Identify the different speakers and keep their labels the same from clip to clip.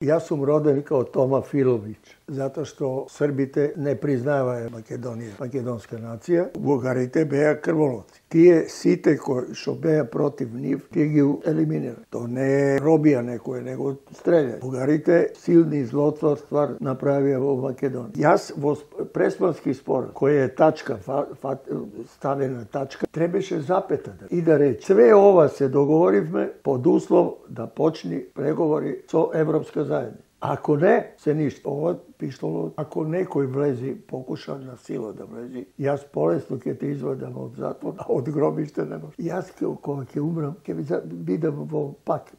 Speaker 1: Јас сум роден као Тома Филовиќ, затоа што србите не признаваја Македонија, македонска нација, бугарите беа крволоци. Тие сите кои што беа против нив, тие ги елиминира. То не е робија некој, него стреља. Бугарите силни злотворства направија во Македонија. Јас во Преспански спор, кој е тачка, ставена тачка, требаше запета и да рече. Све ова се договоривме под услов да почни преговори со Европска заедница. Ако не, се ништо. Ова пиштало, ако некој влези, покуша на сила да влези, јас полесно ќе те извадам од затвор, а од гробиште не може. Јас кога ќе умрам, ќе бидам во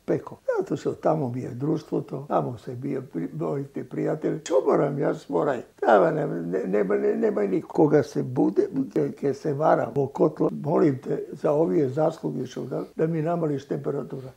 Speaker 1: пеко. Затоа што тамо ми е друштвото, тамо се бија моите пријатели. Што морам јас морај? Тава нема никој. Кога се буде, ќе се вара во котло, молим те за овие заслуги што да ми намалиш температурата.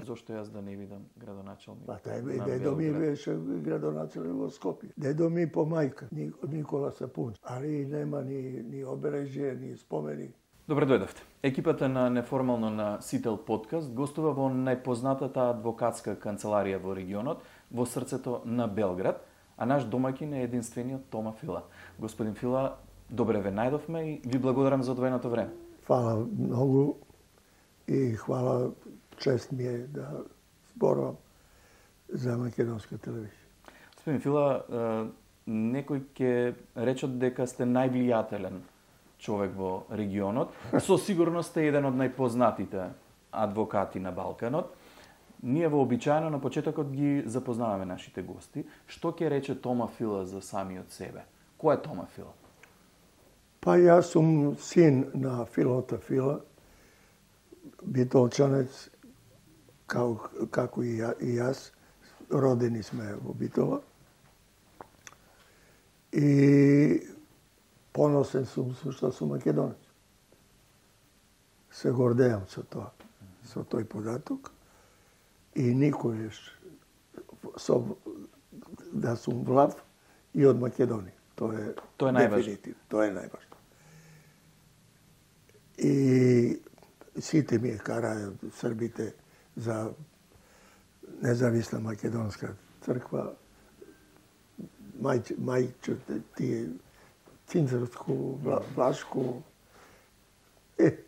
Speaker 2: Зошто јас да не видам градоначалник?
Speaker 1: Па дедо ми беше градоначалник во Скопје. Дедо ми по мајка, Никола Сапунч, али нема ни обележје, ни спомени.
Speaker 2: Добре дојдовте. Екипата на Неформално на Сител подкаст гостува во најпознатата адвокатска канцеларија во регионот, во срцето на Белград, а наш домаќин е единствениот Тома Фила. Господин Фила, добре ве најдовме и ви благодарам за одвоеното време.
Speaker 1: Фала многу и хвала, чест ми е да зборувам за македонска телевизија.
Speaker 2: Господин Фила, некој ќе речат дека сте највлијателен човек во регионот. Со сигурност сте еден од најпознатите адвокати на Балканот. Ние вообичаено на почетокот ги запознаваме нашите гости. Што ќе рече Тома Фила за самиот себе? Кој е Тома Фила?
Speaker 1: Па јас сум син на Филота Фила, битолчанец, како и јас, родени сме во Битола. И поносен сум што сум македонец. Се гордеам со тоа, со тој податок. И никојаш да сум влав и од Македонија. Тоа е најважно. Тоа е најважно. И сите ми караат србите за независна македонска црква, мајче, тие цинцарску, влашку,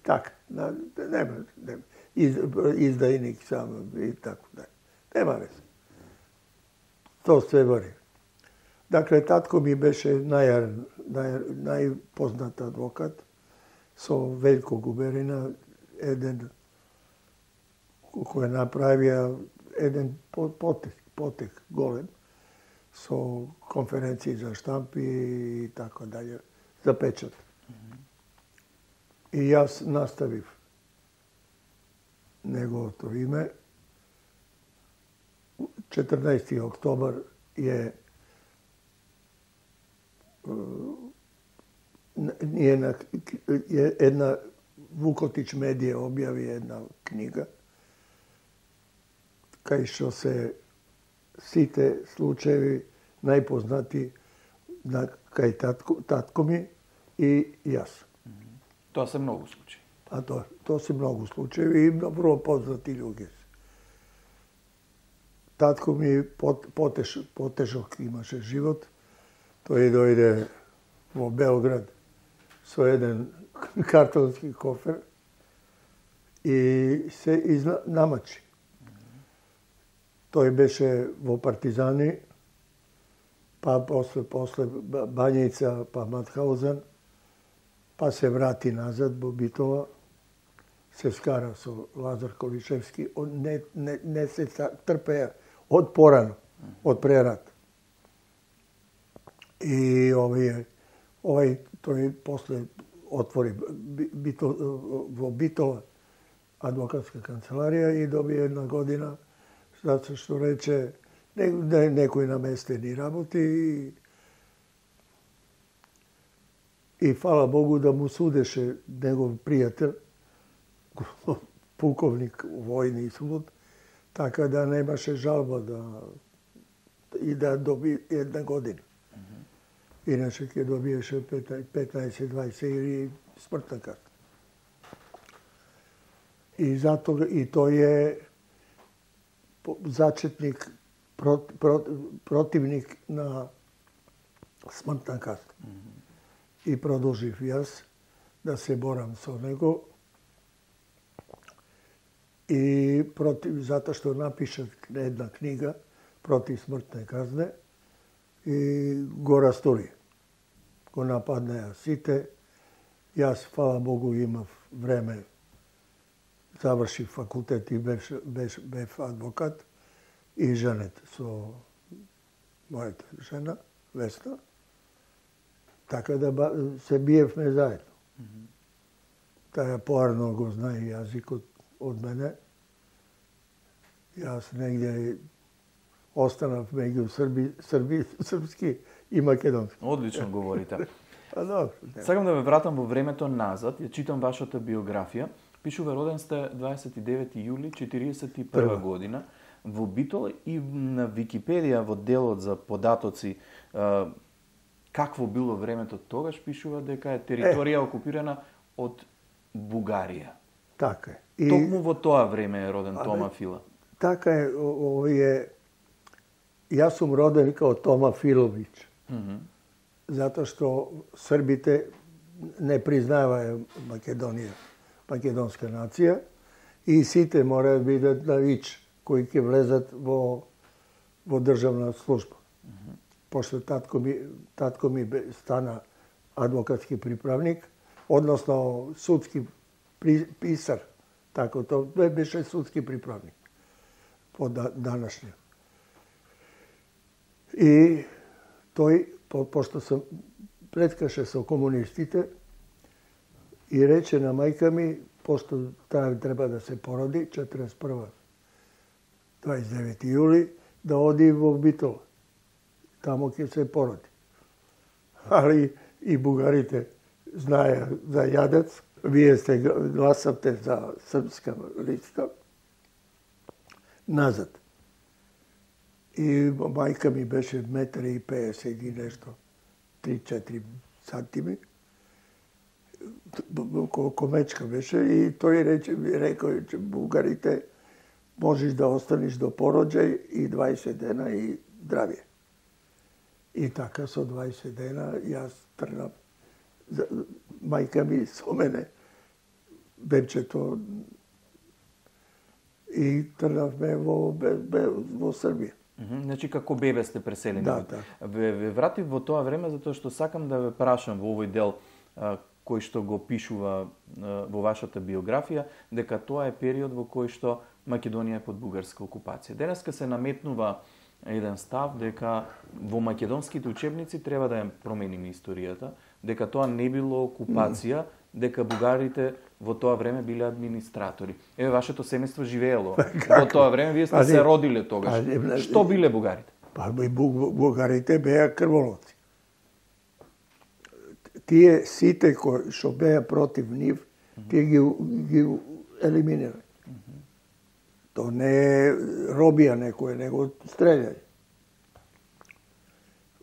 Speaker 1: така, нема, издајник сам и така, нема везе. Тоа се вари. Дакле, татко ми беше најпознат адвокат со Велјко Губерина, еден кој направија еден потек голем со конференции за штампи и така дале, за печат. И јас наставив неговото име. 14. октобар е една Вукотич медија објави една книга кај што се сите случаеви најпознати кај татко ми и јас.
Speaker 2: Тоа се многу случаи.
Speaker 1: А тоа се многу случаи и врло познати луѓе. Татко ми потешок имаше живот. Тој дојде во Белград со еден картонски кофер и се намачи. Тој беше во партизани, па после Бањица, па Матхаузен, па се врати назад во Битола, се скара со Лазар Колишевски, не се трпеа од порано, од прерат. И тој после отвори во Битола адвокатска канцеларија и доби една година, затоа што рече некој наместени работи и фала Богу да му судеше негов пријател, пуковник војни суд, така да немаше жалба и да доби една година. Иначе ќе добиеше 15-20 или смртна карта. И тој е зачетник противник на смртна казна. И продолжив јас да се борам со него и затоа што напишав една книга против смртне казне и го растори. Го нападнаа сите. Јас, фала Богу, имав време, завршив факултет и бев адвокат и женет со мојата жена, Весна. Така да се биевме заедно. Таја поарно го знае јазикот од мене. Јас негде останав меѓу српски и македонски.
Speaker 2: Одлично говорите.
Speaker 1: Добро.
Speaker 2: Сакам да ме вратам во времето назад, ја читам вашата биографија. Пишува роден сте 29 јули 41 година во Битола и на Википедија во делот за податоци какво било времето тогаш пишува дека е територија окупирана од Бугарија.
Speaker 1: Така е.
Speaker 2: Токму во тоа време е роден Тома Фила.
Speaker 1: Така е, јас сум роден као Тома Филовиќ. Затоа што србите не признаваја Македонија, македонска нација, и сите мора да бидат на ВИЧ, кои ќе влезат во државна служба. Пошто татко ми стана адвокатски приправник, односно судски писар, така тоа беше судски приправник по данашње. И тој, пошто се преткаше со комунистите, и рече на мајка ми, пошто таа треба да се породи, 41. 29. јули, да оди во Битола. Тамо ќе се породи. Али и бугарите знаеа за јадец. Вие сте гласавте за српска листа. Назад. И мајка ми беше 1,50 и нешто, 3-4 сантими. Комечка беше и тој рекој, че бугарите можеш да останеш до пороđај и 20 дена и здравје. И така со 20 дена јас тргнав. Мајка ми со мене, бебчето, и тргнавме во Србија.
Speaker 2: Значи, како бебе сте преселени.
Speaker 1: Да.
Speaker 2: Ве вратив во тоа време затоа што сакам да ве прашам во овој дел кој што го пишува во вашата биографија, дека тоа е период во кој што Македонија е под бугарска окупација. Денеска се наметнува еден став дека во македонските учебници треба да ја промениме историјата, дека тоа не било окупација, дека бугарите во тоа време биле администратори. Еве, вашето семејство живеело во тоа време, вие сте се родиле тогаш. Што биле бугарите?
Speaker 1: Бугарите беа крволоци. Тие сите кои што беа против нив, тие ги елиминирали. То не е робија некој, него стрељај.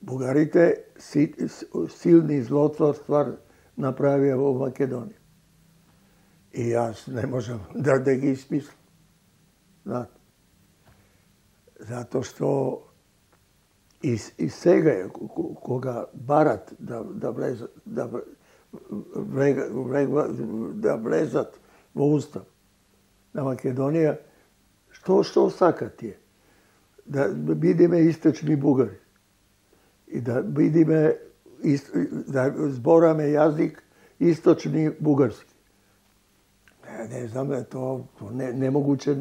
Speaker 1: Бугарите силни злотворства направија во Македонија. И јас не можам да ги измислам. Затоа што и сега кога барат да влезат во устав на Македонија, што сакат тие? Да бидеме источни бугари и да бидеме да збораме јазик источни бугарски. Не знам, тоа немогуче,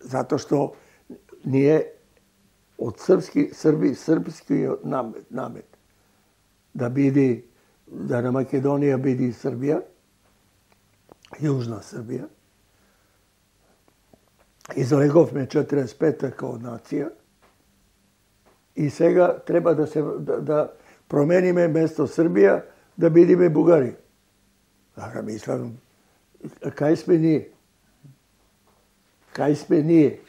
Speaker 1: затоа што ние од српски намет да на Македонија биде Србија, Јужна Србија. Излеговме 45-та као нација и сега треба да промениме место Србија да бидеме Бугарија. Така мислам, кај сме ние? Кај сме ние?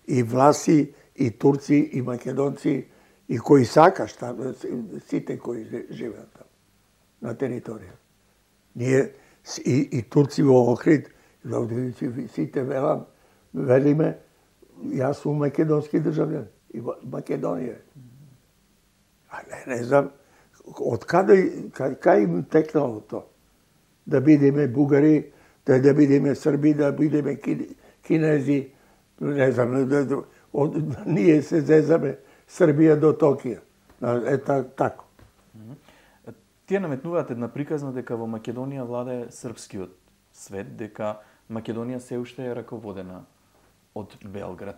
Speaker 1: И власи, и турци, и македонци, и кои сакаш таму, сите кои живеат таму, на територија. Ние, и турци во Охрид, сите велиме, Јас сум македонски државјан и Македонија. А не знам од кај им текнало то да бидеме бугари, да бидеме срби, да бидеме кинези, не знам, ние се зезаме Србија до Токио. Тако.
Speaker 2: Тие наметнуваат една приказна дека во Македонија владае српскиот свет, дека Македонија се уште е раководена од Белград.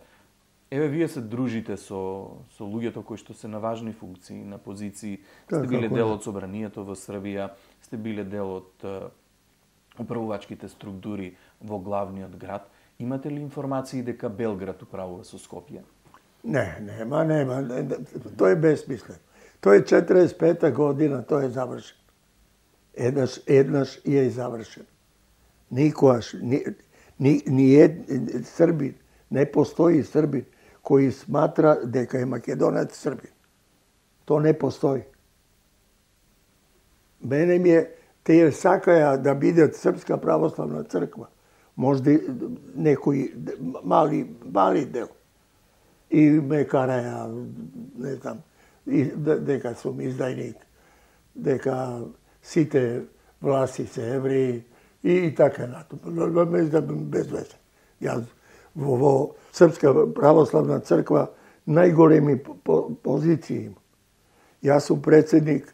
Speaker 2: Еве, вие се дружите со луѓето кои што се на важни функции, на позиции, сте биле дел од собранието во Србија, сте биле дел од управувачките структури во главниот град. Имате ли информации дека Белград управува со Скопје?
Speaker 1: Нема. Тоа е безсмислено. Тоа е 45-та година, тоа е завршен. Еднаш е завршен. Никогаш, Србин, не постои Србин кој сматра дека е македонец Србин. То не постои. Мене ми е, тие сакаја да бидат Српска православна црква. Можда некој мали дел. И ме караја, не знам, дека сум издајник, дека сите власти се евреи и така натаму. Без везе. Јас во Српска православна црква најголеми позиции имам. Јас сум председник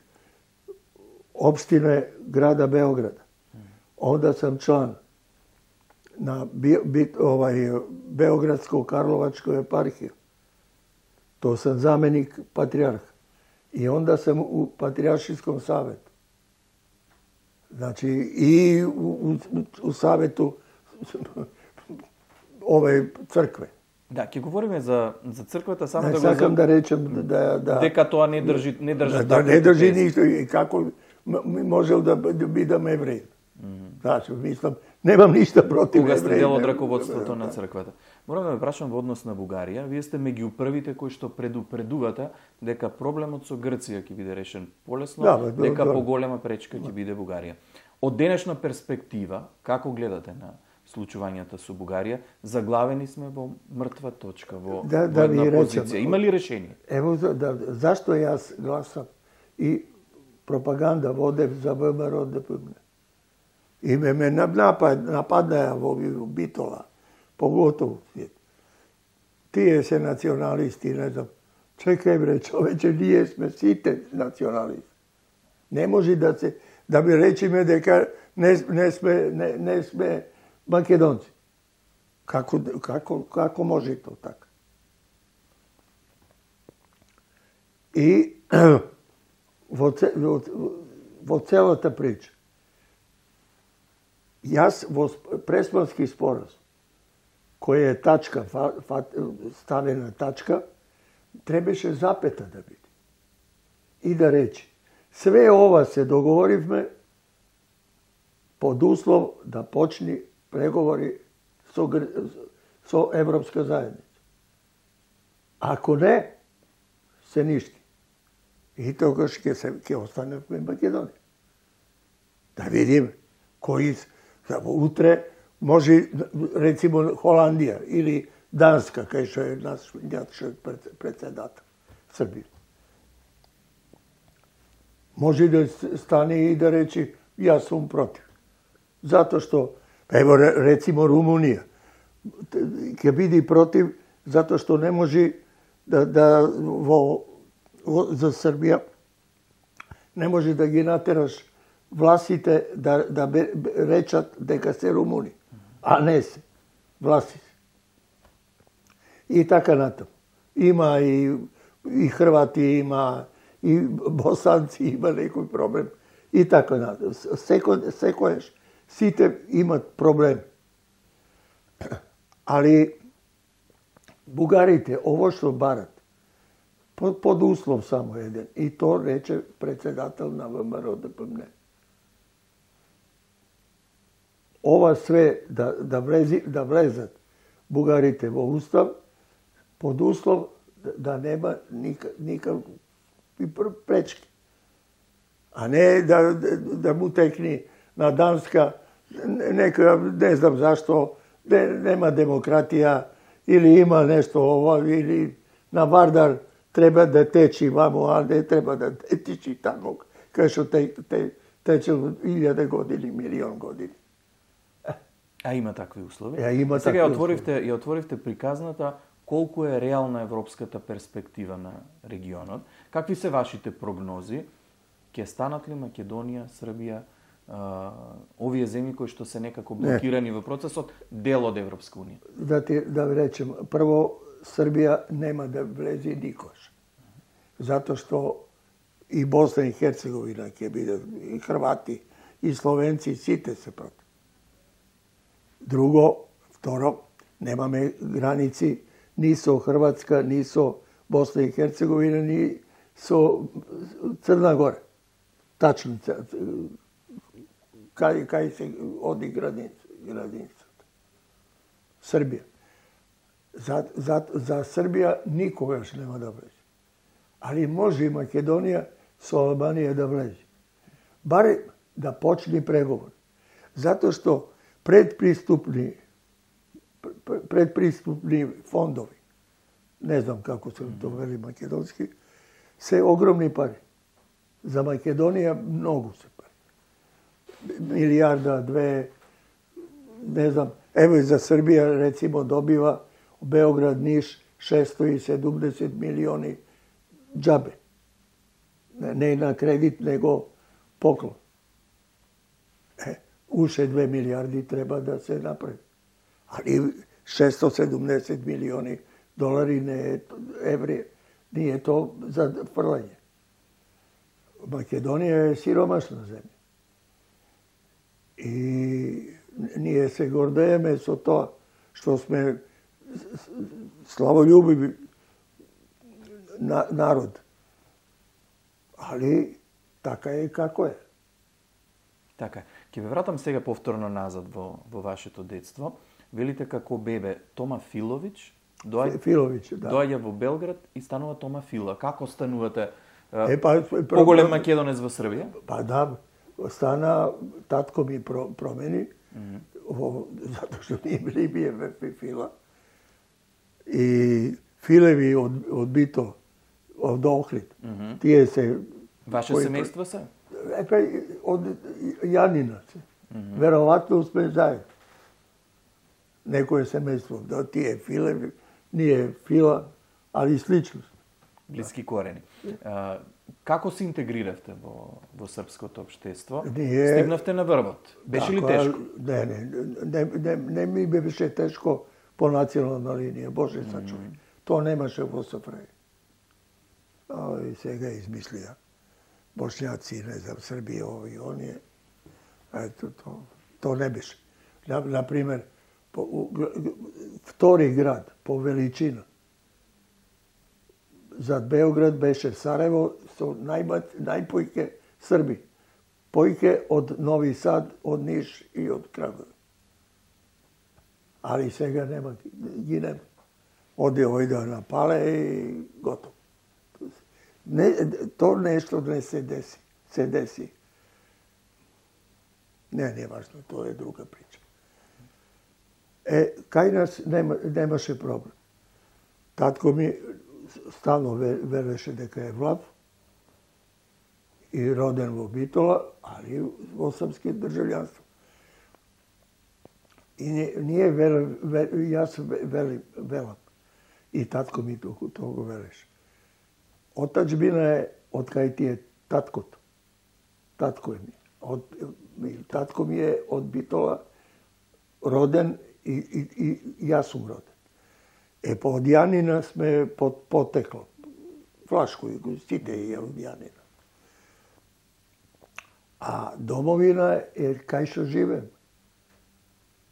Speaker 1: општине града Београда. Онда сам члан на Београдско-Карловачко епархија. То сам заменик патриарх. И онда сам у Патриаршиском савету. Значи, и у савету ове цркве.
Speaker 2: Да, ќе говориме за црквата, само
Speaker 1: да го сакам да речем
Speaker 2: дека тоа не држи
Speaker 1: не држи ништо и како можел да бидам евреј. Значи, мислам, немам ништо против евреи.
Speaker 2: Кога сте дел од раководството на црквата. Морам да ме прашам во однос на Бугарија, вие сте меѓу првите кои што предупредувате дека проблемот со Грција ќе биде решен полесно, дека поголема пречка ќе биде Бугарија. Од денешна перспектива, како гледате на случувањата со Бугарија? Заглавени сме во мртва точка, во една позиција. Има ли решение?
Speaker 1: Ево, зашто јас гласам и пропаганда водев за ВМРО ДПМН. И ме нападнаја во Битола, поготово свет. Тие се националисти, не знам. Чекај бре, човече, ние сме сите националисти. Не може да ми речиме дека не сме македонци. Како може то така? И во целата прича, јас во Преспански споразум, кој е тачка, ставена тачка, требаше запета да биде. И да речи, све ова се договоривме под услов да почни преговори со Европска заедница. Ако не, се ништи. И тогаш ќе остане во Македонија. Да видиме кои утре може, рецимо, Холандија или Данска, кај што е наш председател, Србија. Може да стане и да речи, јас сум против. Затоа што, ево, рецимо, Румунија, ќе биде против, затоа што не може за Србија, не може да ги натераш властите да речат дека се румуни, а не се. Власти се. И така натаму. Има и Хрвати, има и босанци, има некој проблем. И така натаму. Секојаш сите имат проблем. Али бугарите, ово што барат, под услов само еден. И то рече председател на ВМРО ДПМН. Ова све да влезат бугарите во устав под услов да нема никакви пречки. А не да му текни на Данска нека, не знам зашто, нема демократија или има нешто ова, или на Вардар треба да течи вамо, а не треба да течи тамо, кај што тече 1000 години, милион години.
Speaker 2: А има такви услови?
Speaker 1: Има
Speaker 2: Сега
Speaker 1: такви
Speaker 2: ја отворивте приказната колку е реална европската перспектива на регионот. Какви се вашите прогнози? Ќе станат ли Македонија, Србија, овие земји кои што се некако блокирани во процесот, дел од Европска унија?
Speaker 1: Да ви речем, прво, Србија нема да влезе никош. Затоа што и Босна и Херцеговина ќе бидат, и Хрвати, и Словенци, сите се против. Второ, немаме граници ни со Хрватска, ни со Босна и Херцеговина, ни со Црна Гора. Тачно, кај се оди границата. Србија. За Србија никогаш нема да влезе. Али може и Македонија со Албанија да влезе. Барем да почне преговор. Затоа што предприступни фондови, не знам како се то вели македонски, се огромни пари. За Македонија многу се пари. Милијарда, 2, не знам. Ево и за Србија, рецимо, добива Београд, Ниш, 670 милиони џабе. Не на кредит, него поклон. Уште 2 милијарди треба да се направи. Али 670 милиони долари не е еври, не е то за фрлање. Македонија е сиромашна земја. И ние се гордееме со тоа што сме славолюбиви народ. Али така е како е.
Speaker 2: Така. Ќе ве вратам сега повторно назад во вашето детство. Велите како бебе Тома Филович доаѓа во Белград и станува Тома Фила. Како станувате поголем македонец во Србија?
Speaker 1: Па да, стана, татко ми промени, затоа што ние били Фила. И Филеви од Бито, од Охрид, тие се...
Speaker 2: Ваше семејство се?
Speaker 1: Од Јанина се. Веројатно сме заедно. Некој семејство, да, тие Филеви, ние Фила, али слично.
Speaker 2: Блиски корени. Како се интегриравте во српското општество? Стигнавте на врвот. Беше ли тешко?
Speaker 1: Не ми беше тешко по национална линија, Боже сачувај. Тоа немаше во СФРJ. И сега измислија. Бошњаци, не знам, Србија, ови, оние. Ето, то не беше. Например, втори град по величина зад Београд беше Сараево со најпојке Срби. Појке од Нови Сад, од Ниш и од Крагуев. Али сега нема, ги нема. Ојде на Пале и готово. То нешто не се деси. Се деси. Не е важно, тоа е друга прича. Кај нас немаше проблем. Татко ми стално вереше дека е влав и роден во Битола, али во српски државјанство. И ние јас велам. И татко ми тоа го велеше. Отачбина е од кај ти е таткото. Татко е ми. Татко ми е од Битола роден и јас сум роден. По од Јанина сме потекло. Флашко и сите е од Јанина. А домовина е кај што живеем.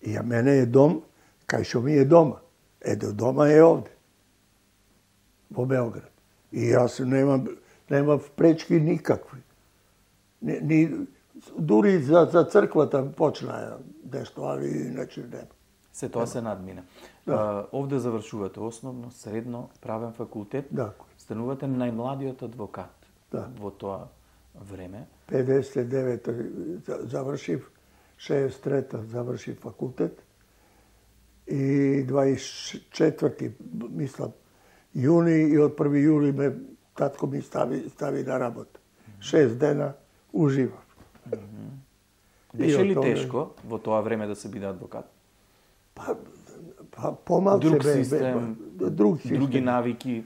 Speaker 1: И мене е дом кај што ми е дома. Дома е овде. Во Београд. И јас немам пречки никакви. Дури за црквата почна нешто, али иначе нема.
Speaker 2: Се тоа се надмина. Да. Овде завршувате основно, средно, правен факултет.
Speaker 1: Да.
Speaker 2: Станувате најмладиот адвокат во тоа време.
Speaker 1: 59 завршив, 63 завршив факултет И 24. мислам, јуни и од 1. јули ме татко ми стави на работа. 6 дена уживав.
Speaker 2: Беше ли тешко во тоа време да се биде адвокат?
Speaker 1: Помалце
Speaker 2: друг систем, други навики.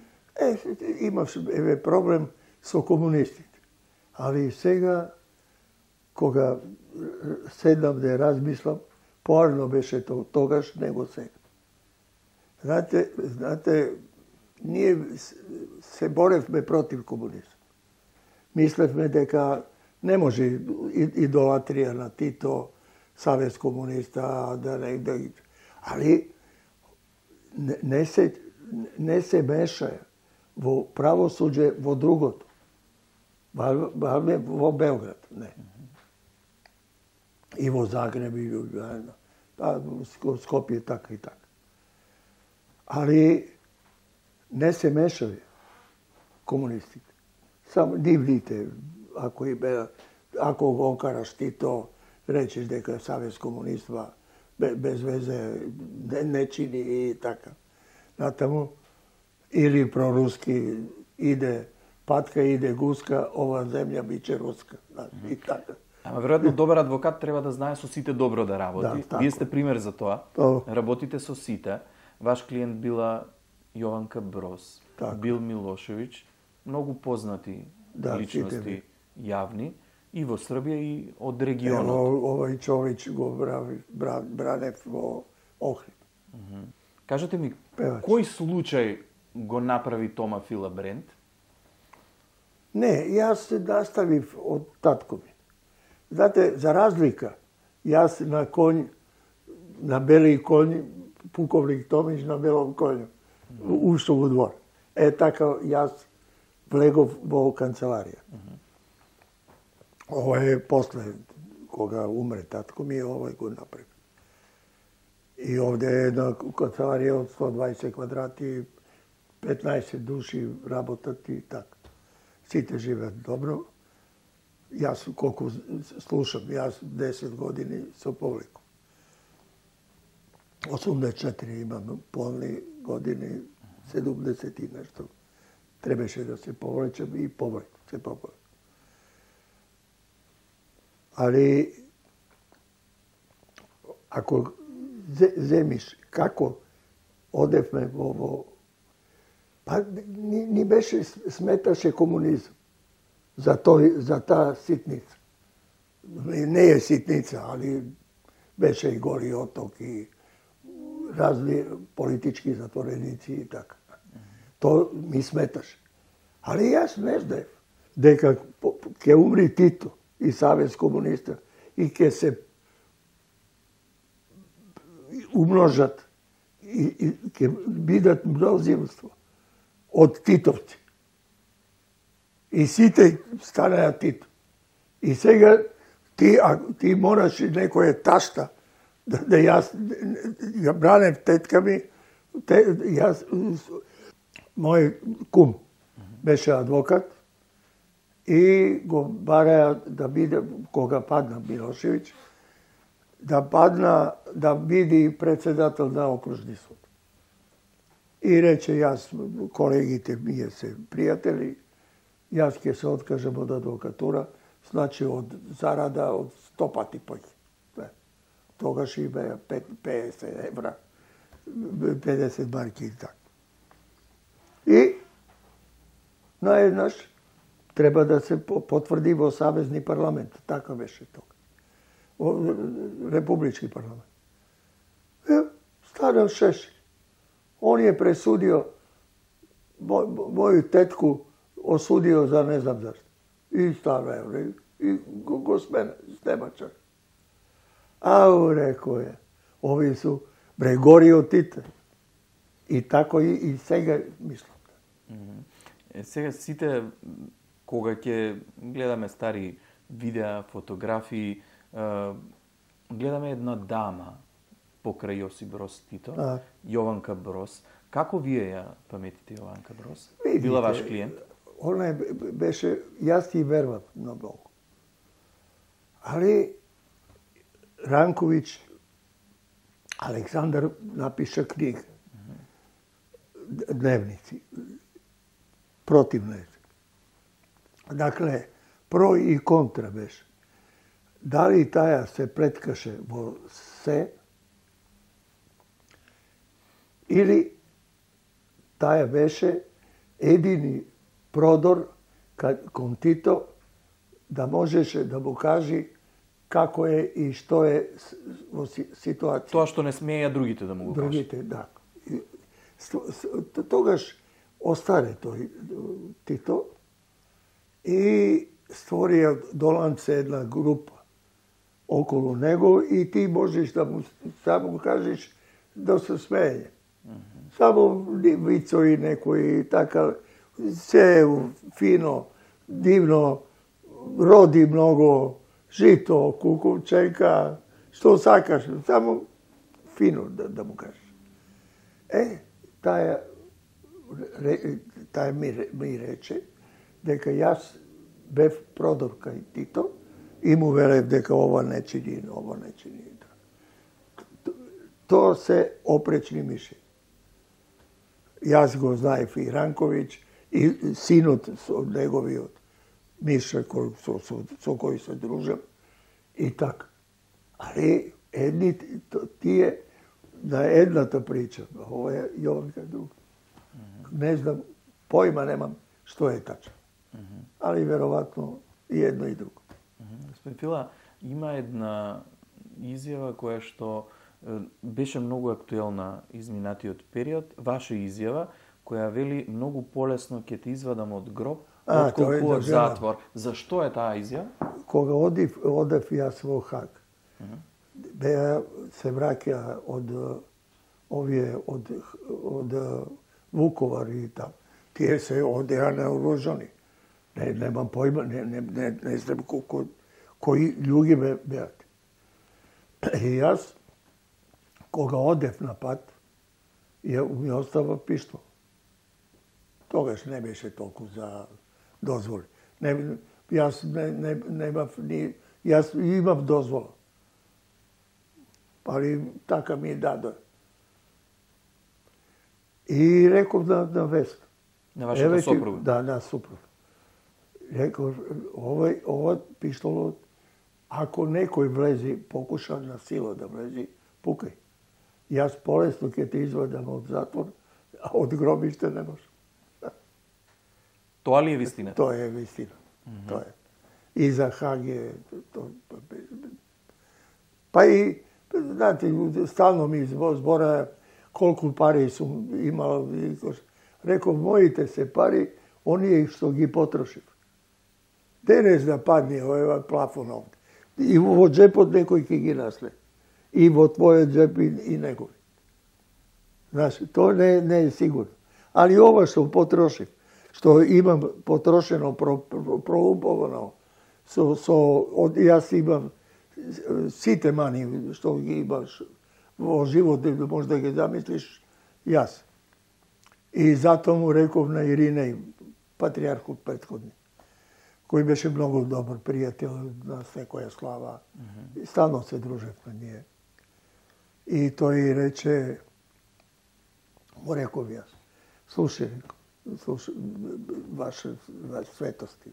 Speaker 1: Имаш проблем со комунистите. Али сега, кога седнам да размислам, поарно беше тогаш, него сега. Знаете, ние се боревме против комунизм. Мислевме дека не може идолатрија на Тито, Savez комуниста, али не се мешаја во правосуđе во другото. Во Белград, не. И во Загреб, и во Скопје, така и така. Али не се мешави комунистите. Само нивните, ако го окараш Тито, речеш дека Savez комуниства без везе не чини и така. Натаму, или проруски иде патка, иде гуска, ова земја биче руска. И така.
Speaker 2: Ама веројатно добар адвокат треба да знае со сите добро да работи. Да, вие сте пример за тоа. Работите со сите. Ваш клиент била Јованка Брос, Бил Милошевиќ, многу познати личности јавни и во Србија и од регионот.
Speaker 1: Овој човек го бранев во Охрид.
Speaker 2: Кажете ми, кој случај го направи Тома Фила Брент?
Speaker 1: Не, јас се наставив од татко ми. Знаете, за разлика, јас на конј, на бели конј, пуковник Томич на белом конју, ушто во двор. Така јас влегов во канцеларија. Ова е после, кога умре татко ми, овој го направи. И овде е една канцеларија од 120 квадрати, 15 души работат и така. Сите живеат добро. Јас колку слушам, јас 10 години со публику. 84 имам полни години, 70 и нешто. Требаше да се повлечем и повлеку, се повлеку. Али, ако земиш како одевме во па ни беше сметаше комунизм за таа ситница. Не е ситница, али беше и Гори оток и разни политички затвореници и така. То ми сметаше. Али јас не знаев дека ќе умри Тито и Savez комуниста и ќе се умножат и ќе бидат мнозинство од титовци. И сите станаја Тито. И сега ти мораш некоја ташта да јас ја бранев тетка ми, мој кум беше адвокат и го бараја да биде, кога падна Милошевиќ, да биде председател на окружни суд. И рече, јас, колегите ние се пријатели, јас ќе се откажам од адвокатура, значи од зарада од 100 пати поќе. Тогаш и беа 50 евра, 50 марки и така. И наеднаш треба да се потврди во Савезни парламент. Така беше тога. Во Републички парламент. Станал Шешелј. Он е пресудио, моју тетку осудио за не знам зашто. И стана и го снемача. Ау, рекој е, ови су Гори од Тите. И тако и сега мислам.
Speaker 2: Сега сите, кога ќе гледаме стари видеа, фотографии, гледаме една дама покрај Јосип Брос Тито, Јованка Брос. Како вие ја паметите Јованка Брос? Била ваш клиент?
Speaker 1: Она беше, јас ти вервам на Бог. Али Ранковиќ Александар напиша книга. Дневници. Против неја. Дакле, про и контра беше. Дали таја се преткаше во се, или таја беше едини продор кон Тито да можеше да му кажи како е и што е во ситуација.
Speaker 2: Тоа што не смеја другите да му го кажат.
Speaker 1: Другите, да. Тогаш остаре тој Тито и створија Доланце една група околу него и ти можеш да му само кажеш да се смее. Само вицови некои така, се фино, дивно, роди многу, жито, кукувченка, што сакаш, само фино да му кажеш. Таја ми рече дека јас бев продор кај Тито и му велев дека ова не чини. Тоа се опречни миши. Јас го знаев и Ранковиќ, и синот со неговиот Миша со кој се дружам, и така. Али тие на едната прича, ова е Јованка друга. Не знам, појма немам што е тачно. Али веројатно и едно и друго.
Speaker 2: Господин Фила, има една изјава која што беше многу актуелна изминатиот период, ваша изјава, која вели многу полесно ќе те извадам од гроб, отколку од затвор. Зашто е таа изјава?
Speaker 1: Кога одев јас во Хаг, се враќа од Вуковар и там. Тие се одеа наоружани. Немам појма, не знам кои луѓе беат. И јас, кога одев на пат, ми остава пиштол. Тогаш не беше толку за дозволи. Јас имав дозвола. Али така ми даде. И реков на Вест.
Speaker 2: На вашата сопруга?
Speaker 1: Да, на сопруга. Реков, ова пиштолот, ако некој влези, покуша на сила да влези, пукај. Јас полесно ќе те извадам од затвор, а од гробиште не може.
Speaker 2: Тоа ли е вистина?
Speaker 1: Тоа е вистина. Тоа е. И за Хаг е... Па и, знаете, стално ми збора колку пари сум имал. Реков, моите се пари, оние што ги потрошив. Денес да падне овој плафон овде. И во джепот некој ќе ги насле. И во твојот джеп и некој. Знаеш, тоа не е сигурно. Али ова што потрошив, што имам потрошено, проумповано, јас имам сите мани што ги имаш во живот, може да ги замислиш, јас. И затоа му реков на Иринеј, патриархот претходни, кој беше многу добар пријател на секоја слава. И стално се дружевме ние. И тој рече, му реков јас, слушај, ваше светости.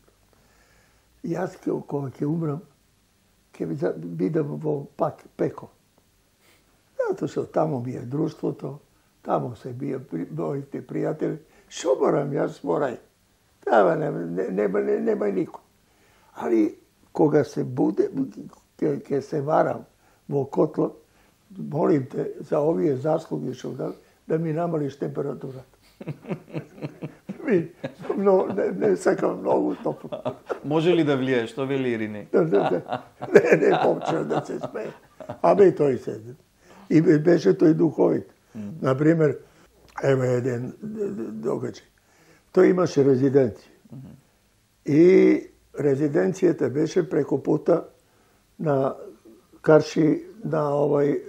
Speaker 1: Јас кога ќе умрам, ќе бидам во пеко. Затоа што тамо ми е друштвото, тамо се бија моите пријатели. Шо морам јас морај? Тава нема никој. Али кога се буде, ќе се варам во котлот, молим те за овие заслуги што да ми намалиш температурата. Не сакам многу топло.
Speaker 2: Може ли да влијае, што вели Ирине?
Speaker 1: Не почна да се смее. Абе тој седе. И беше тој духовит. Например, ево еден догаѓај. Тој имаше резиденција. И резиденцијата беше преку пута на Карши на овој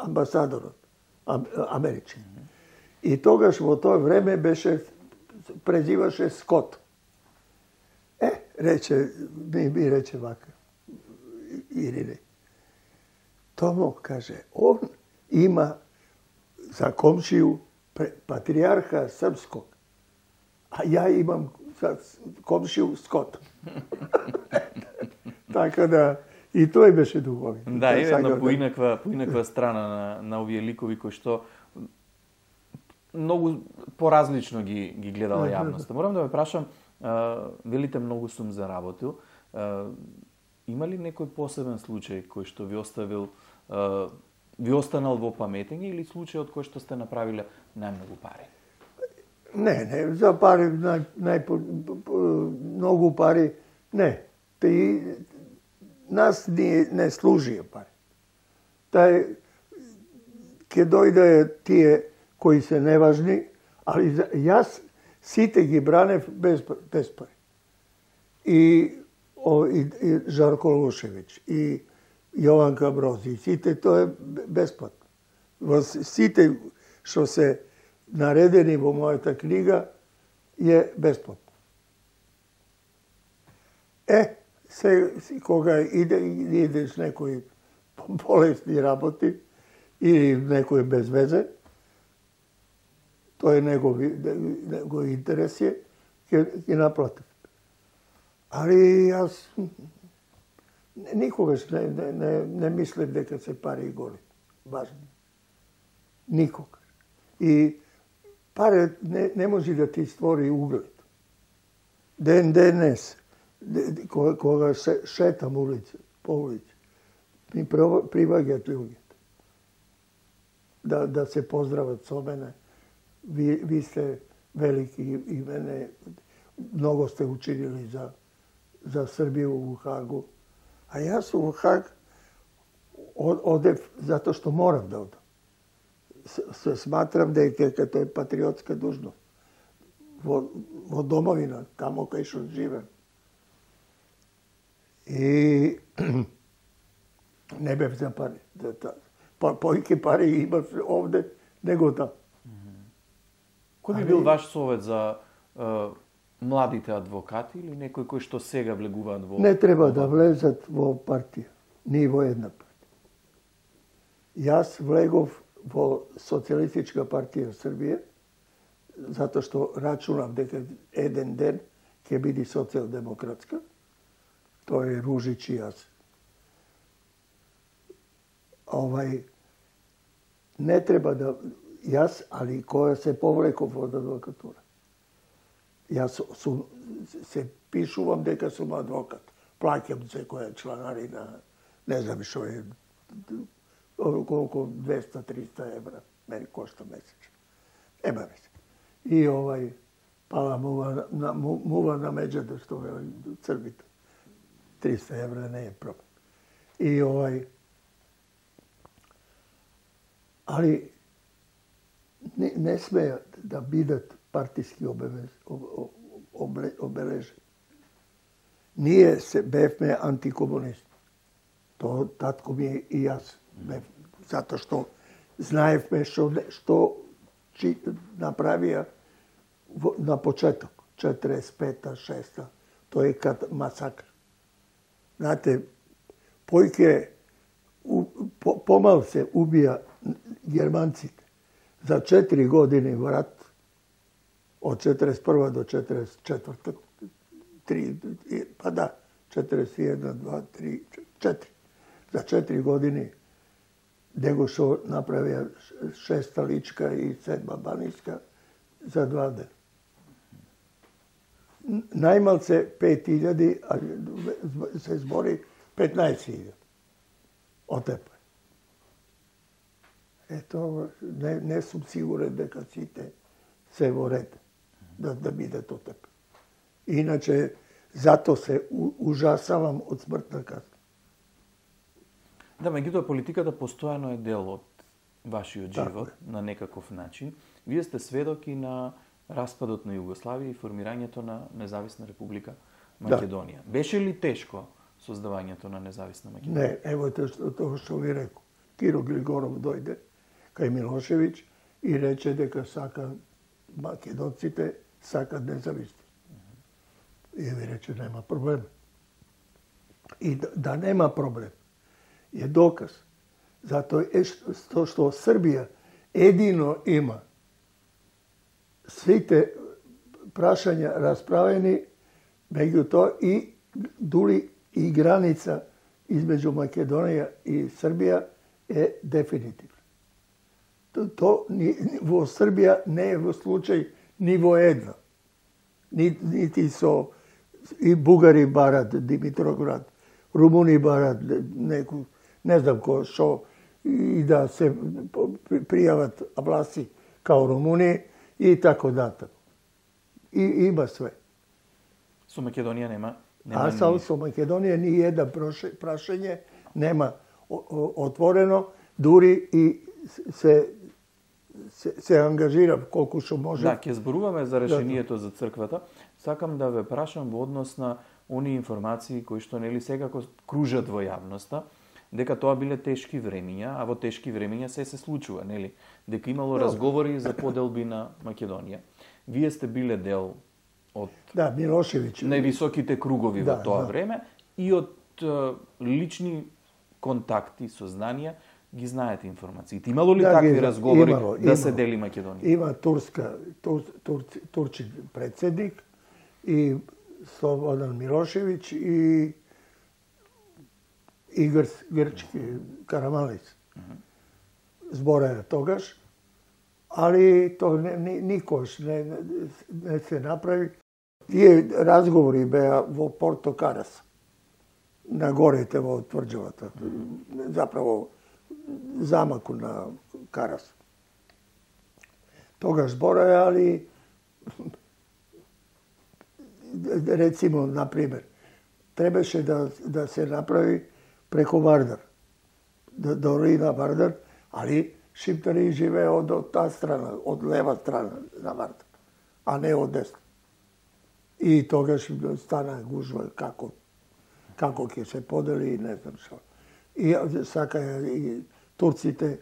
Speaker 1: амбасадорот, амерички. И тогаш во тоа време беше, презиваше Скот. Ми рече вака, Ирине. Томо, каже, он има за комшiju патриjarha srpskog, a ja imam za komšiju Skota. Така да и тој беше духовит.
Speaker 2: Да, е една поинаква страна на овие ликови кои што многу поразлично ги гледала јавноста. Морам да ве прашам, велите многу сум заработил. Има ли некој посебен случај кој што ви останал во паметење или случајот кој што сте направиле најмногу пари?
Speaker 1: Не, за пари многу пари не. Нас не служија пари. Ке дојде тие кои се неважни, али јас сите ги бранев без пари. И Жарко Лушевиќ, и Јованка Брози, сите тоа е бесплатно. Сите што се наредени во мојата книга е бесплатно. Кога идеш некој болесни работи или некој без везе, тоа е негов интерес е, ќе наплатиш. Али јас никогаш не мислев дека се пари голи. Важно. Никогаш. И пари не може да ти створи углед. Денес, кога шетам по улица, ми приваѓаат луѓето да се поздрават со мене. Ви сте велики и мене многу сте учинили за Србија во Хагу. А јас во Хаг одев затоа што морам да одам. Се сматрам дека тоа е патриотска должност. Во домовина, тамо кај што живеам. И не бев за пари. Поиќе пари имав овде, него там.
Speaker 2: Кој би бил ваш совет за младите адвокати или некој кој што сега влегуваат во...
Speaker 1: Не треба да влезат во партија, ни во една партија. Јас влегов во Социјалистичка партија Србија, затоа што рачунав дека еден ден ќе биде социјалдемократска. Тоа е Ружич и јас. Не треба да... Јас, али која се повлеков од адвокатура. Јас се пишувам дека сум адвокат. Плаќам секоја чланарина, не знам што е, колку 200-300 евра мене кошта месечно. Нема веќе. И пала мува на меѓата што е Црбите. 300 евра не е проблем. И али не смеат да бидат партиски обележени. Ние се бевме антикомунисти. Тоа татко ми и јас бев. Затоа што знаевме што направија на почеток, 45-та, 6-та. Тоа е масакр. Знаете, поиќе помал се убија германците за 4 години врат, од 41 до 44, 3, па да, 41, 2, 3, 4. За 4 години него што направија 6-та Личка и 7-та Баниска за 2 дена. Најмалце 5.000, а се збори 15.000. Отепа. Ето, не сум сигурен дека сите се во ред да бидат отепа. Иначе, зато се ужасавам од смртна казна.
Speaker 2: Да, меѓутоа политиката постојано е дел од вашиот живот на некаков начин. Вие сте сведоки на распадот на Југославија и формирањето на независна република Македонија. Да. Беше ли тешко создавањето на независна Македонија?
Speaker 1: Не, ево тоа што ви рекол. Киро Глигоров дојде кај Милошевиќ и рече дека сака македонците сакат независност. И ви рече нема проблем. И да нема проблем е доказ Затоа е што Србија едино има сите прашања расправени, меѓутоа и дури и граница измеѓу Македонија и Србија е дефинитивна. Во Србија не е во случај ни во едно. Нити со и бугари барат Димитроград, румуни барат неку, не знам што, и да се пријават власти као Румуни и така натаму. И има све.
Speaker 2: Со Македонија нема
Speaker 1: со Македонија ни една прашање нема отворено, дури и се ангажира колку што може.
Speaker 2: Да, ќе зборуваме за решението за црквата. Сакам да ве прашам во однос на оние информации кои што нели секако кружат во јавноста, дека тоа биле тешки времиња, а во тешки времиња се случува, нели? Дека имало разговори за поделби на Македонија. Вие сте биле дел од
Speaker 1: Милошевиќ,
Speaker 2: највисоките кругови во тоа време и од лични контакти, сознанија, ги знаете информациите. Имало ли такви разговори се дели Македонија?
Speaker 1: Има турчин председник и Слободан Милошевиќ и грчки Карамалис. Збореа тогаш, али тоа никош не се направи. Тие разговори беа во Порто Карас, на горите во тврđавата, заправо замаку на Карас. Тогаш збореа, али рецимо, например, требаше да се направи преку Вардар, до Рина Вардар, али шиптари живее од таа страна, од лева страна на Вардар, а не од десна. И тогаш стана гужва како ќе се подели и не знам што. И сака и турците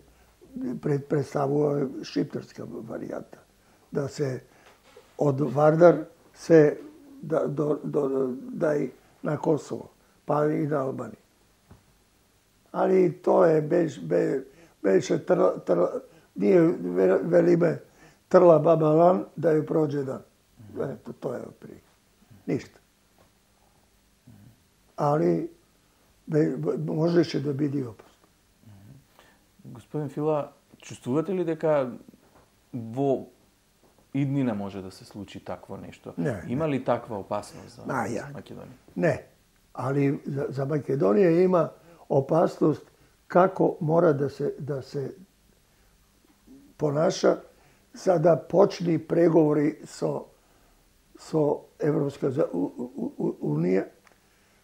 Speaker 1: представува шиптарска варијанта, да се од Вардар се дај на Косово, па и на Албанија. Али тоа беше ние велиме трла баба лан да ја проđе дан. Ето, тоа е при ништа. Али можеше да биде опасно.
Speaker 2: Господин Фила, чувствувате ли дека во иднина може да се случи такво нешто? Има ли таква опасност за Македонија?
Speaker 1: Не, али за Македонија има опасност како мора да се понаша за да почни преговори со Европска унија,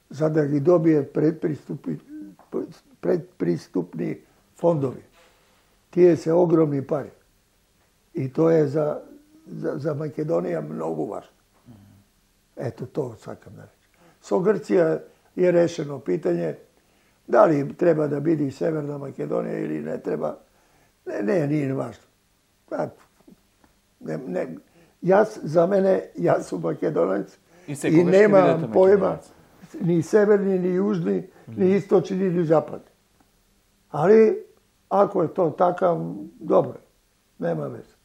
Speaker 1: за да ги добие предприступни фондови. Тие се огромни пари. И тоа е за Македонија многу важно. Ето тоа сакам да речем. Со Грција е решено питање дали треба да биде и Северна Македонија или не треба. Не е важно. За мене, јас сум македонец и немам појма ни северни, ни јужни, ни источни, ни западни. Али, ако е тоа така, добро, нема везе.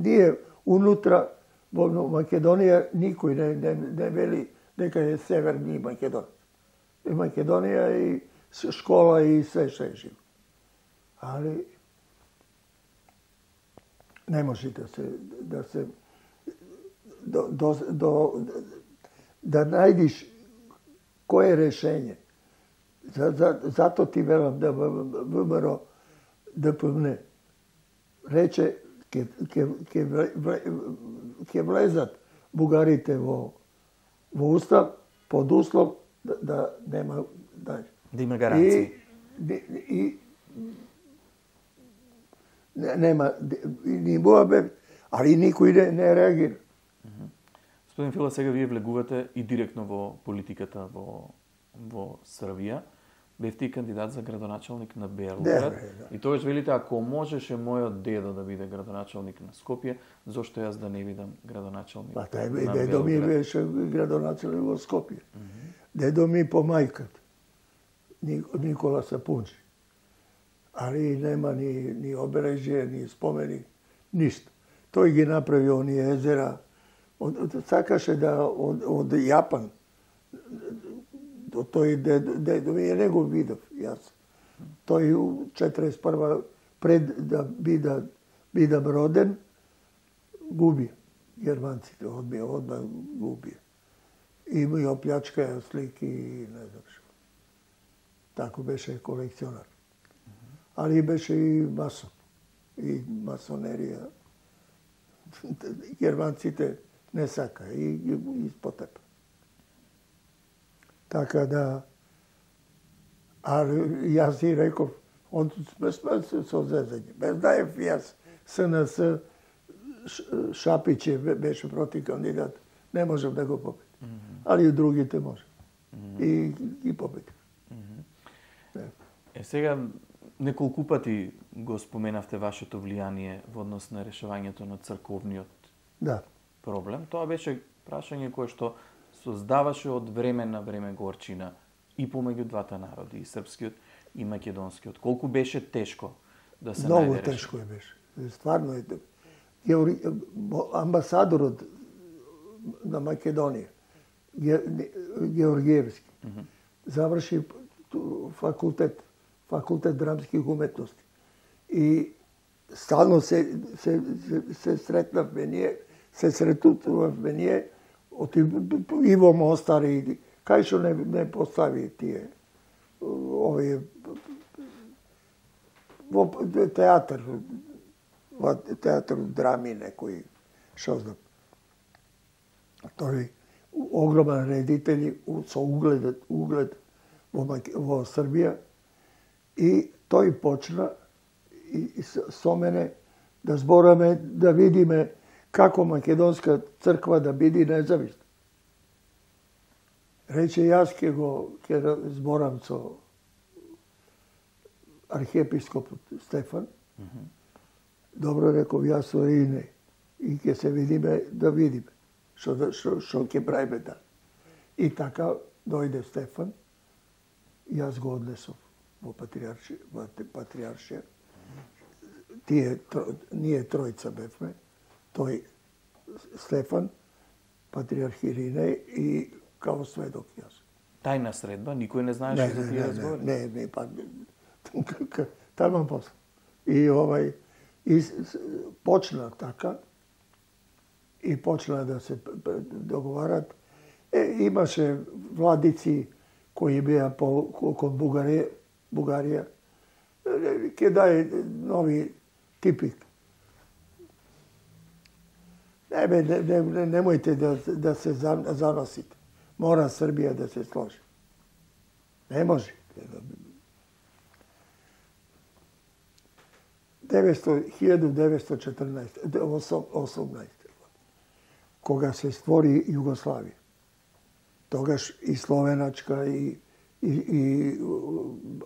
Speaker 1: Ние унутра во Македонија никој не вели дека е северни Македонија. И Македонија и школа и се што е живо. Али не може да најдиш кое е решење. Зато ти велам да ВМРО ДПМН рече ќе влезат бугарите во устав под услов да нема
Speaker 2: да има гаранции.
Speaker 1: И нема ни Моабе, али никој не реагира.
Speaker 2: Господин Фила, сега вие влегувате и директно во политиката во Србија. Бевте и кандидат за градоначалник на Белград. И тогаш велите, ако можеше мојот дедо да биде градоначалник на Скопје, зошто јас да не бидам градоначалник на Белград?
Speaker 1: Дедо ми беше градоначалник во Скопје. Дедо ми по мајката. Никоla Sapunči. Ali nema ni obeležje, ni spomenik, ništa. Тој ги направи оние езера. Сакаше да од Јапан, до тој дедо ми него видов јас. Тој 41 пред да бидам роден, губи германците, одма губи. И ми оплячкаја слики и не знам што. Тако беше колекционар. Али беше и масон. И масонерија. Германците не сака и испотепа. Така да, јас и реков, он сме со зезање. Без знаев јас, СНС, Шапиć беше проти кандидат, не можев да го победим. Али и другите може. И ги победим.
Speaker 2: Сега, неколку пати го споменавте вашето влијание во однос на решавањето на црковниот проблем. Тоа беше прашање кое што создаваше од време на време горчина и помеѓу двата народи, и српскиот и македонскиот. Колку беше тешко да се најде решение?
Speaker 1: Многу тешко беше. Стварно е. Амбасадорот на Македонија, Георгиевски, заврши факултет драмских уметности. И стално се сретнавме ние, се сретувавме ние, од Иво Мостар и кај што не постави тие овие во театар драми некои, што знам. Тој огромен редители со углед во Србија и тој почна и со мене да збораме, да видиме како македонска црква да биде независна. Рече, јас ќе зборам со архиепископот Стефан. Добро, реков, јас со Ине и ќе се видиме, да видиме што ќе правиме да. И така дојде Стефан, јас го однесов во патриаршија. Ние тројца бевме, тој Стефан, патриарх Иринеј и као сведок јас.
Speaker 2: Тајна средба, никој не знаеше за тие разговори?
Speaker 1: Не, па таман после. И почна така, и почна да се договарат. Имаше владици кои беа кон Бугарија, ќе дај нови типик. Немојте да се заносите. Мора Србија да се сложи. Не може. 1918 кога се створи Југославија. Тогаш и Словеначка, и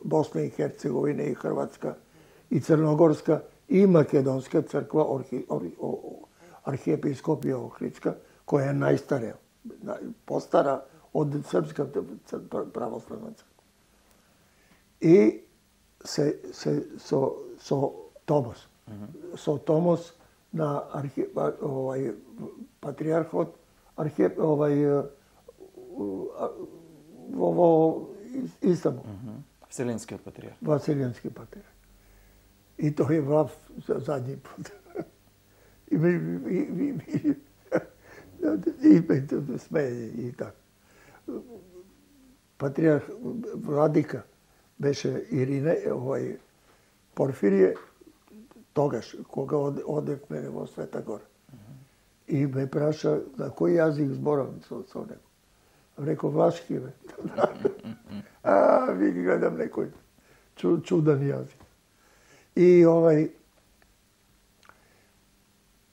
Speaker 1: Босна и Херцеговина, и Хрватска, и Црногорска, и Македонска црква, архиепископија Охридска, која е најстарија, постара од Српската православна црква. И со Томос. Со Томос на патриархот, во Истанбул.
Speaker 2: Вселенскиот патриарх.
Speaker 1: Вселенски патриарх. И тој е влав за задњи пут. И смее и така. Патриарх владика беше Ирине, Порфирije, тогаш, кога одевме во Света Гора. И ме праша на кој јазик зборам со него. Реков, влашки, бе. Ви гледам некој чуден јазик. И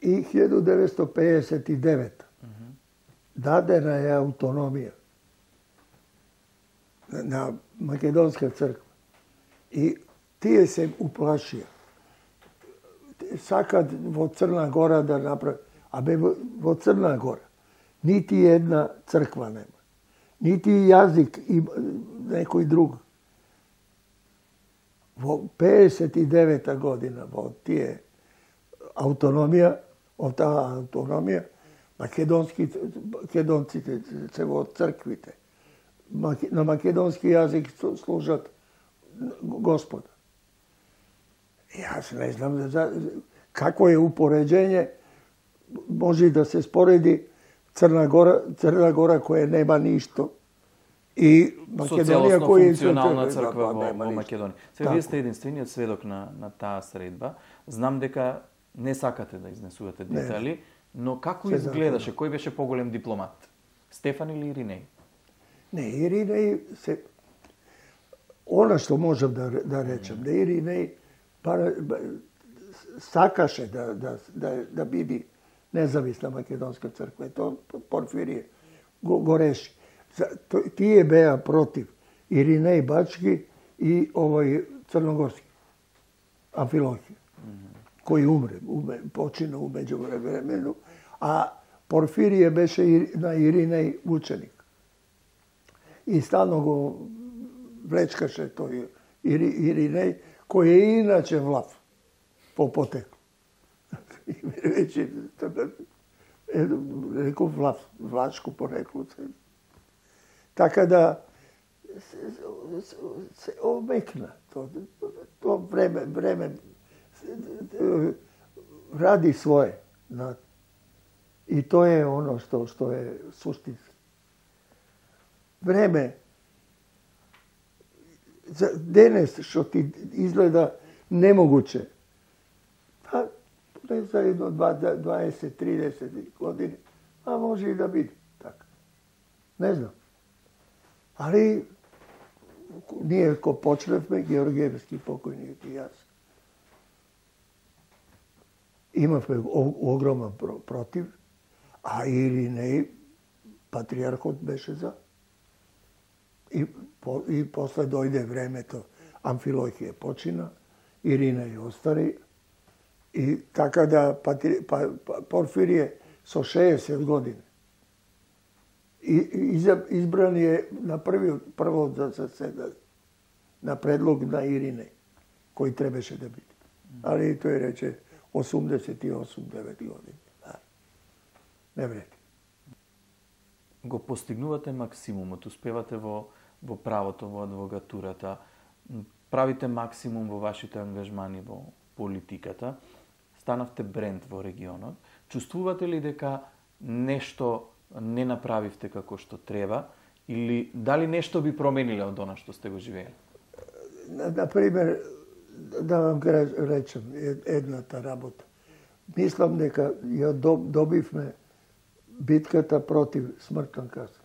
Speaker 1: 1959 дадена е автономија на Македонска црква. И тие се уплашија. Сакат во Црна Гора да направи. Во Црна Гора нити една црква нема. Нити јазик и некој друг. Во 59 година, во тие автономија, во таа автономија, македонците се во црквите. На македонски јазик служат Господа. Јас не знам какво е упореđење, може да се спореди Црна Гора која нема ништо и
Speaker 2: Македонија која е функционална црква во Македонија. Сега вие сте единствениот сведок на таа средба. Знам дека не сакате да изнесувате детали, но како изгледаше? Кој беше поголем дипломат? Стефан или Иринеј?
Speaker 1: Не, Иринеј се... Она што можам да речем, да Иринеј сакаше да биде независна македонска црква. Тоа Порфирije го реши. Тие беа против Иринеј Бачки и овој Црногорски, Амфилохија, кој умре, почина умеѓу времено, а Порфирije беше на Иринеј ученик. И стално го влечкаше тој Иринеј, кој е иначе влав по потекло. Вече, реков влашко порекло. Така да се омекна. То време ради своje. И тоа е оно што е суштински. Време денес што ти изгледа немогуче, не за едно 20-30 години, а може и да биде така. Не знам. Али ние ко почневме, Георгиевски покојник и јас, имавме огромен против, а Иринеј, патриархот беше за. И после дојде времето, Амфилохија почина, Иринеј остари, и така да Порфирije со 60 години. Избран е на прво да се седа на предлог на Иринеј, кој требаше да биде. Али тој рече 88-9 години. Не вреди.
Speaker 2: Го постигнувате максимумот, успевате во правото, во адвокатурата, правите максимум во вашите ангажмани во политиката, станавте бренд во регионот. Чувствувате ли дека нешто не направивте како што треба или дали нешто би промениле од она што сте го живеели?
Speaker 1: Например, да вам речем едната работа. Мислам дека ја добивме битката против смртна казна.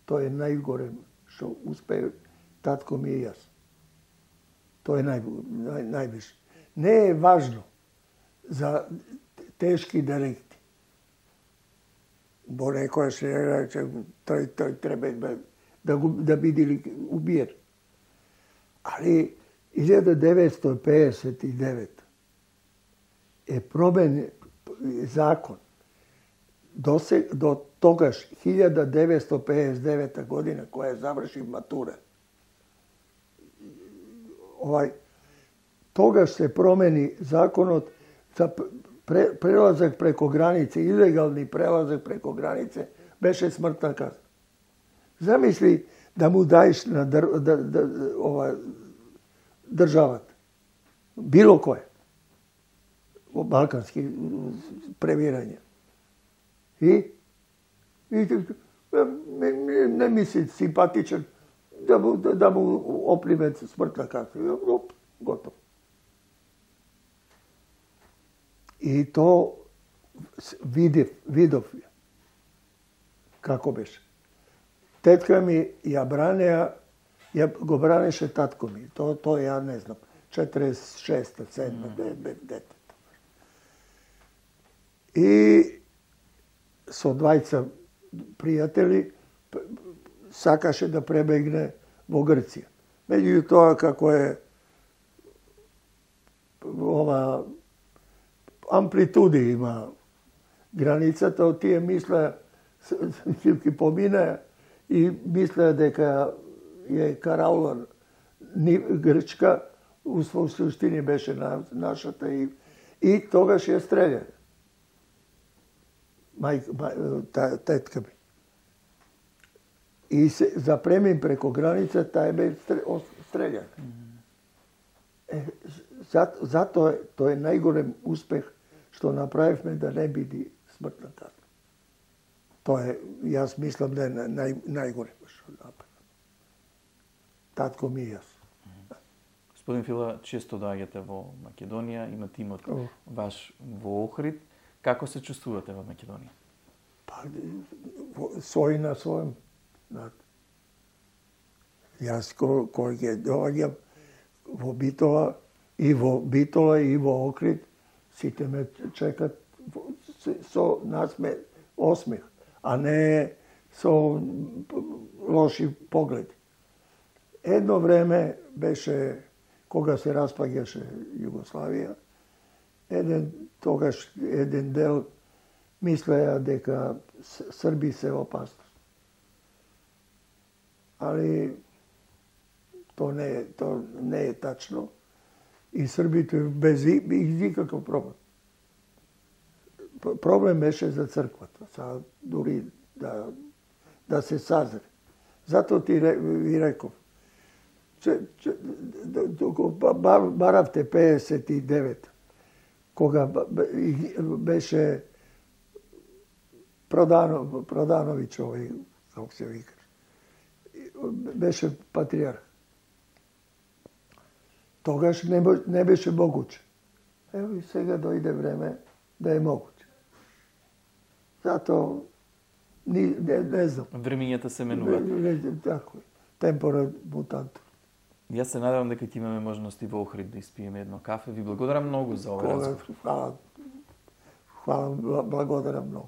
Speaker 1: Тоа е најгоре што успеа татко ми и јас. Тоа е највише. Не е важно за тешки деликти. Бо некоја се рече, тој треба да биде убиен. Али 1959 е променен закон. До тогаш 1959 година која заврши матура. Тогаш се промени законот за прелазак преко границе, илегални прелазак преко границе, беше смртна казна. Замисли да му даеш на државата, било кое, во балкански премирање. И не мисли симпатичен да му опримет смртна казна. Готово. И то видов како беше. Тетка ми ја го бранеше татко ми. То ја не знам. 46-та, 7-та детето. И со двајца пријатели сакаше да пребегне во Грција. Меѓутоа, како е ова амплитуди има границата, тие мислеа ќе поминаа и мислеа дека е караулан Грчка, у суштини беше нашата и тогаш ја стреља. Тетка ми. И се запремим преко граница, тај бе стрељан. Затоа тој е најголем успех што направивме да не биде смртна казна. Тоа е, јас мислам да е најголем што направи. Татко ми и јас.
Speaker 2: Господин Фила, често доаѓате во Македонија, има тимот ваш во Охрид. Како се чувствувате во Македонија?
Speaker 1: Па, свој на својом. Јас кој ќе доаѓам во Битола и во Охрид, сите ме чекат со насмех, осмех, а не со лоши погледи. Едно време беше кога се распаѓаше Југославија, тогаш еден дел мислеја дека Срби се опасност. Али то не е тачно и Србите без никаков проблем. Проблем беше за црквата, дури да се сазре. Зато ви реков, баравте 59, кога беше Продановиќ овој, како се вика, беше патриарх. Тогаш не беше могуче. Ево и сега дојде време да е могуче. Зато не знам.
Speaker 2: Времењата се менуваат.
Speaker 1: Така е. Темпора мутантор.
Speaker 2: Јас се надевам дека ќе имаме можности во Охрид да испиеме едно кафе. Ви благодарам многу за овој разговор.
Speaker 1: Хвала, благодарам многу.